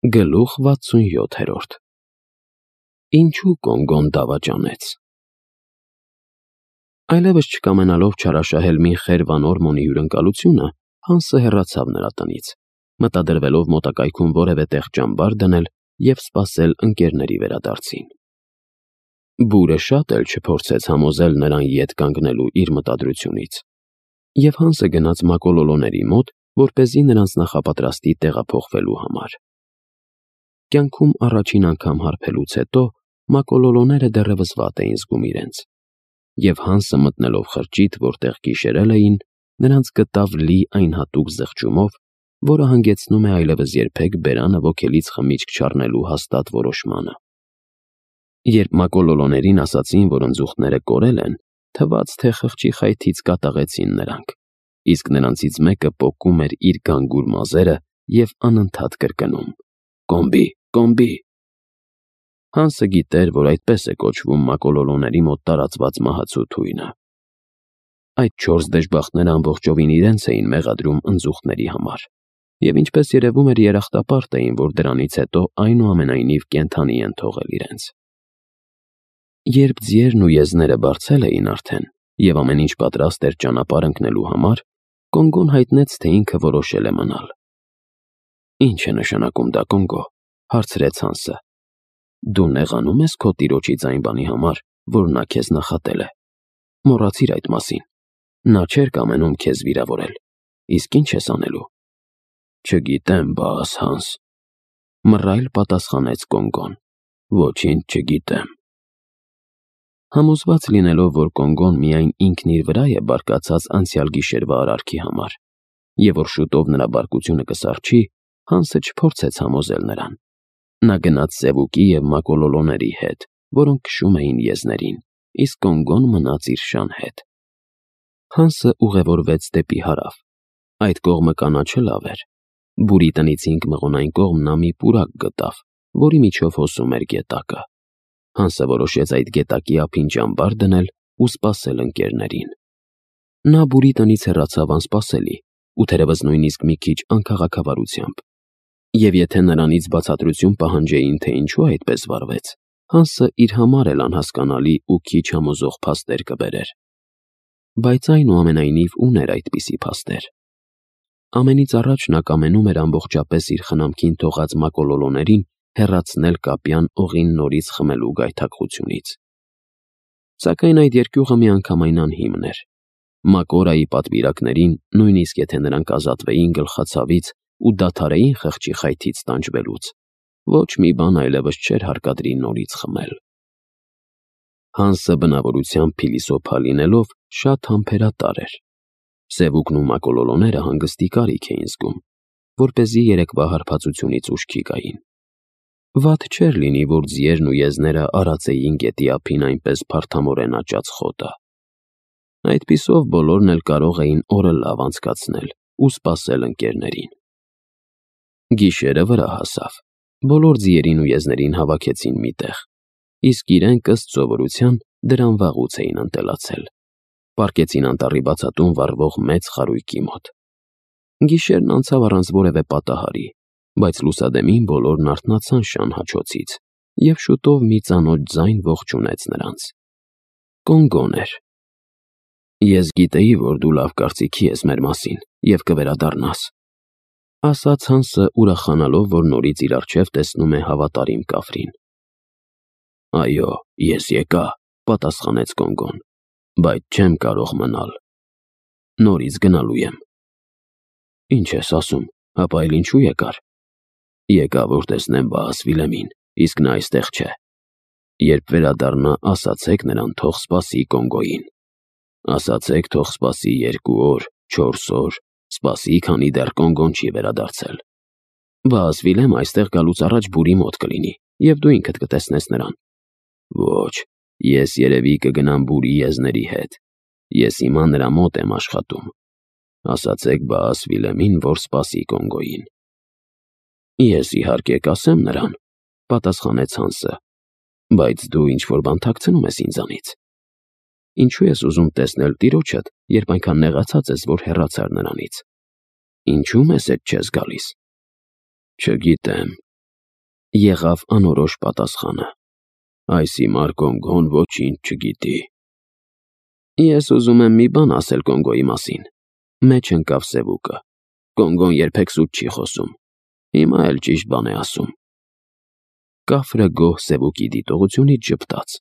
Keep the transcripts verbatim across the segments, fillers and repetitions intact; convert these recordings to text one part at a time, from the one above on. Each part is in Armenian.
Գլուխ վաթսունյոթերորդ Ինչու Կոնգոն դավաճանեց։ Այլևս չկամենալով չարաշահել մի խեր Վանորմոնի հյուրընկալությունը, Հանսը հեռացավ նրա տնից, մտադրվելով մոտակայքում որևէ տեղ ճամբար դնել և սպասել ընկերների վերադարձին։ Բուրը շատ էլ չփորձեց համոզել նրան ետ կանգնելու իր մտադրությունից, և Հանսը գնաց մակոլոլոների մոտ, որպեսզի նրանց նախապատրաստի տեղափոխվելու համար։ Կյանքում առաջին անգամ հարբելուց հետո մակոլոլոները դեռևս վատ էին զգում իրենց, և Հանսը մտնելով խրճիթ, որտեղ գիշերել էին, նրանց գտավ լի այն հատուկ զղջումով, որը հանգեցնում է այլևս երբեք բերանը ոգելից խմիչք չառնելու հաստատ որոշմանը։ Երբ մակոլոլոներին ասացին, որ ընձուղտները կորել են, թվաց, թե խղճի խայթից կատաղեցին նրանք, իսկ նրանցից մեկը պոկում էր իր գանգուր մազերը և անընդհատ կրկնում. «Կոմբի, կոմբի»։ Հանսը գիտեր, որ այդպես է կոչվում մակոլոլոների մոտ տարածված մահացու թույնը։ Այդ չորս դժբախտները ամբողջովին իրենց էին մեղադրում ընձուղտների համար, և ինչպես երևում էր, երախտապարտ էին, որ դրանից հետո այնուամենայնիվ կենդանի են թողել իրենց։ Երբ ձիերն ու եզները բարձել էին արդեն, և ամեն ինչ պատրաստ էր ճանապարհ ընկնելու համար, Կոնգոն հայտնեց, թե ինքը որոշել է մնալ։ «Ինչ է նշանակում դա, Կոնգո», հարցրեց Հանսը։ «Դու նեղանո՞ւմ ես քո տիրոջից այն բանի համար, որ նա քեզ նախատել է։ Մոռացիր այդ մասին։ Նա չէր կամենում քեզ վիրավորել, իսկ ինչ ես անելու»։ «Չգիտեմ, բաս, Հանս», մռայլ պատասխանեց Կոնգոն։ «Ոչինչ չգիտեմ»։ Համոզված լինելով, որ Կոնգոն միայն ինքն իր վրա է բարկացած անցյալ գիշերվա արարքի համար, և որ շուտով նրա բարկությունը կսառչի, Հանսը չփորձեց համոզել նրան։ Նա գնաց Սևուկի և մակոլոլոների հետ, որոնք քշում էին եզներին, իսկ Կոնգոն մնաց իր շան հետ։ Հանսը ուղևորվեց դեպի հարավ։ Այդ կողմը կանաչը լավ էր։ Բուրի տնից հինգ մղոն այն կողմ նա մի պուրակ գտավ, որի միջով հոսում էր գետակը։ Հանսը որոշեց այդ գետակի ափին ճամբար դնել ու սպասել ընկերներին։ Նա Բուրի տնից հեռացավ անսպասելի ու թերևս նույնիսկ մի քիչ անքաղաքավարությամբ։ Եվ եթե նրանից բացատրություն պահանջեին, թե ինչու այդպես վարվեց, Հանսը իր համար էլ անհասկանալի ու քիչ համոզող փաստեր կբերեր։ Բայց այնուամենայնիվ ուներ այդպիսի փաստեր։ Ամենից առաջ նա կամենում էր ամբողջապես իր խնամքին թողած մակոլոլոներին հեռացնել Կապյան օղին նորից խմելու գայթակղությունից։ Սակայն այդ երկյուղը միանգամայն անհիմն էր։ Մակորայի պատվիրակներին, նույնիսկ եթե նրանք ազատվեին գլխացավից ու դադարեին խղճի խայթից տանջվելուց, ոչ մի բան այլևս չէր հարկադրի նորից խմել։ Հանսը բնավորությամբ փիլիսոփա լինելով շատ համբերատար էր։ Սևուկն ու մակոլոլոները հանգստի կարիք էին զգում, որպեսզի երեկվա հարբածությունից ուշքի գային։ Վատ չէր լինի, որ ձիերն ու եզները արածեին գետի ափին այնպես փարթամորեն աճած խոտը։ Այդպիսով բոլորն էլ կարող էին օրը լավ անցկացնել ու սպասել ընկերներին։ Գիշերը վրա հասավ։ Բոլոր ձիերին ու եզներին հավաքեցին մի տեղ, իսկ իրենք ըստ սովորության դրան վաղուց էին ընտելացել։ Պառկեցին անտառի բացատում վառվող մեծ խարույկի մոտ։ Գիշերն անցավ առանց որևէ պատահարի, բայց լուսադեմին բոլորն արթնացան շան հաչոցից, և շուտով մի ծանոթ ձայն ողջունեց նրանց։ Կոնգոն էր։ «Ես գիտեի, որ դու լավ կարծիքի ես մեր մասին և կվերադառնաս», ասաց Հանսը, ուրախանալով, որ նորից իր առջև տեսնում է հավատարիմ կավրին։ «Այո, ես եկա», պատասխանեց Կոնգոն, «բայց չեմ կարող մնալ։ Նորից գնալու եմ»։ «Ինչ ես ասում, հապա էլ ինչու եկար»։ «Եկա, որ տեսնեմ Վահաս Վիլեմին, իսկ նա այստեղ չէ։ Երբ վերադառնա, ասացեք նրան թող սպասի Կոնգոյին։ Ասացեք թող սպասի երկու օր, չորս օր, սպասի, քանի դեռ Կոնգոն չի վերադարձել։ Վահաս Վիլեմը այստեղ գալուց առաջ Բուրի մոտ կլինի, և դու ինքդ կտեսնես նրան»։ «Ոչ, ես երևի կգնամ Բուրի եզների հետ։ Ես հիմա նրա մոտ եմ աշխատում։ Ասացեք Վահաս Վիլեմին, որ սպասի Կոնգոյին»։ «Ես իհարկե կասեմ նրան», պատասխանեց Հանսը, «բայց դու ինչ-որ բան թաքցնում ես ինձանից։ Ինչու ես ուզում տեսնել տիրոջդ, երբ այնքան նեղացած ես, որ հեռացար նրանից։ Ինչու մեզ հետ չես գալիս»։ «Չգիտեմ, Եղավ անորոշ պատասխանը. Այս հիմար Կոնգոն ոչինչ չգիտի։ Ես ուզում եմ մի բան ասել Կոնգոյի մասին, մեջ ընկավ Սևուկը։ Կոնգոն երբեք սուտ չի խոսում, հիմա էլ ճիշտ բան է ասում։ Կաֆրը գոհ Սևուկի դիտողությունից ժպտաց։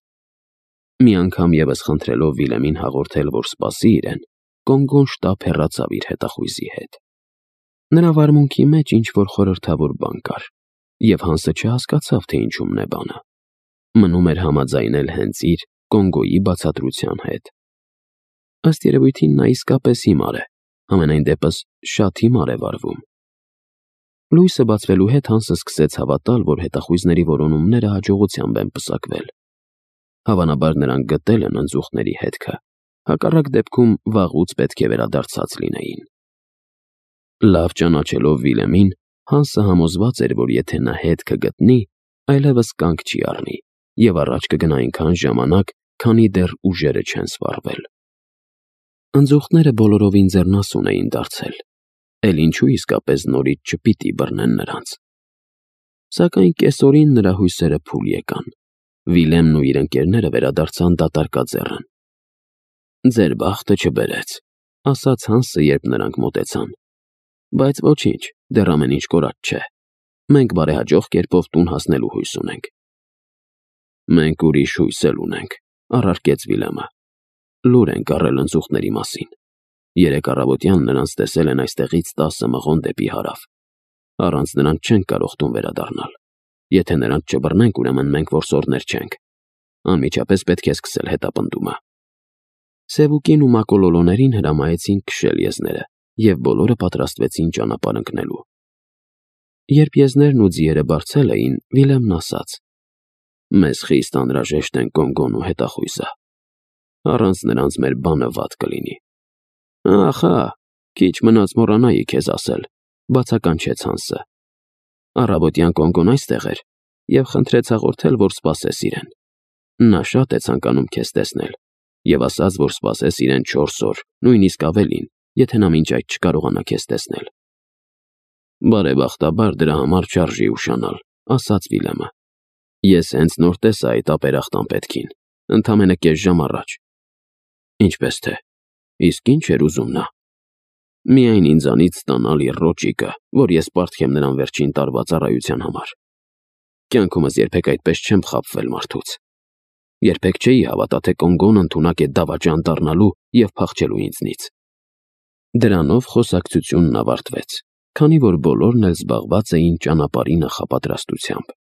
Մի անգամ ևս խնդրելով Վիլեմին հաղորդել, որ սպասի իրեն, Կոնգոն շտապ հեռացավ իր հետախույզի հետ։ Նրա վարմունքի մեջ ինչ-որ խորհրդավոր բան կար, և Հանսը չհասկացավ, թե ինչումն է բանը։ Մնում էր համաձայնել հենց իր Կոնգոյի բացատրության հետ։ Ըստ երևույթին նա իսկապես հիմար է, համենայն դեպս շատ հիմար է վարվում։ Լույսը բացվելու հետ Հանսը սկսեց հավատալ, որ հետախույզների որոնումները հաջողությամբ են պսակվել։ Հավանաբար նրանք գտել են ընձուղտների հետքը, հակառակ դեպքում վաղուց պետք է վերադարձած լինեին։ Լավ ճանաչելով Վիլեմին, Հանսը համոզված էր, որ եթե նա հետքը գտնի, այլևս կանգ չի առնի և առաջ կգնա այնքան ժամանակ, քանի դեռ ուժերը չեն սվառվել։ Ընձուղտները բոլորովին ձեռնասուն էին դարձել, էլ ինչու իսկապես նորից չպիտի բռնեն նրանց։ Սակայն կեսօրին նրա հույսերը փուլ եկան։ Վիլեմն ու իր ընկերները վերադարձան դատարկաձեռն։ «Ձեր բախտը չբերեց», ասաց Հանսը, երբ նրանք մոտեցան։ «Բայց ոչինչ, դեռ ամեն ինչ կորած չէ։ Մենք բարեհաջող կերպով տուն հասնելու հույս ունենք»։ «Մենք ուրիշ հույս էլ ունենք», առարկեց Վիլեմը։ «Լուր ենք առել ընձուղտների մասին։ Երեկ առավոտյան նրանց տեսել են այստեղից տասը մղոն դեպի հարավ։ Առանց նրանց չենք կարող տուն վերադառնալ։ Եթե նրանց չբռնենք, ուրեմն մենք որսորդներ չենք։ Անմիջապես պետք է սկսել հետապնդումը»։ Սևուկին ու Մակոլոլոներին հրամայեցին քշել եզները, և բոլորը պատրաստվեցին ճանապարհ ընկնելու։ Երբ եզներն ու ձիերը բարձել էին, Վիլեմն ասաց. «Մեզ խիստ անհրաժեշտ են Կոնգոն ու հետախույզը։ Առանց նրանց մեր բանը վատ կլինի»։ «Ախա, քիչ մնաց մոռանայի քեզ ասել», բացականչեց Հանսը։ «Առավոտյան Կոնգոն այստեղ էր և խնդրեց հաղորդել, որ սպասես իրեն։ Նա շատ է ցանկանում քեզ տեսնել և ասաց, որ սպասես իրեն չորս օր, նույնիսկ ավելին, եթե նա մինչ այդ չկարողանա քեզ տեսնել»։ «Բարեբախտաբար դրա համար չարժի ուշանալ», ասաց Վիլեմը։ «Ես հենց նոր տեսա այդ ապերախտ անպետքին, ընդամենը կես ժամ առաջ»։ «Ինչպես թե, իսկ ի՞նչ էր ուզում նա»։ «Միայն ինձանից ստանալ իր ռոճիկը, որ ես պարտք եմ նրան վերջին տարվա ծառայության համար։ Կյանքումս երբեք այդպես չեմ խաբվել մարդուց։ Երբեք չէի հավատա, թե Կոնգոն ընդունակ է դավաճան դառնալու և փախչելու ինձնից»։ Դրանով խոսակցությունն ավարտվեց, քանի որ բոլորն էլ զբաղված էին ճանապարհի նախապատրաստությամբ։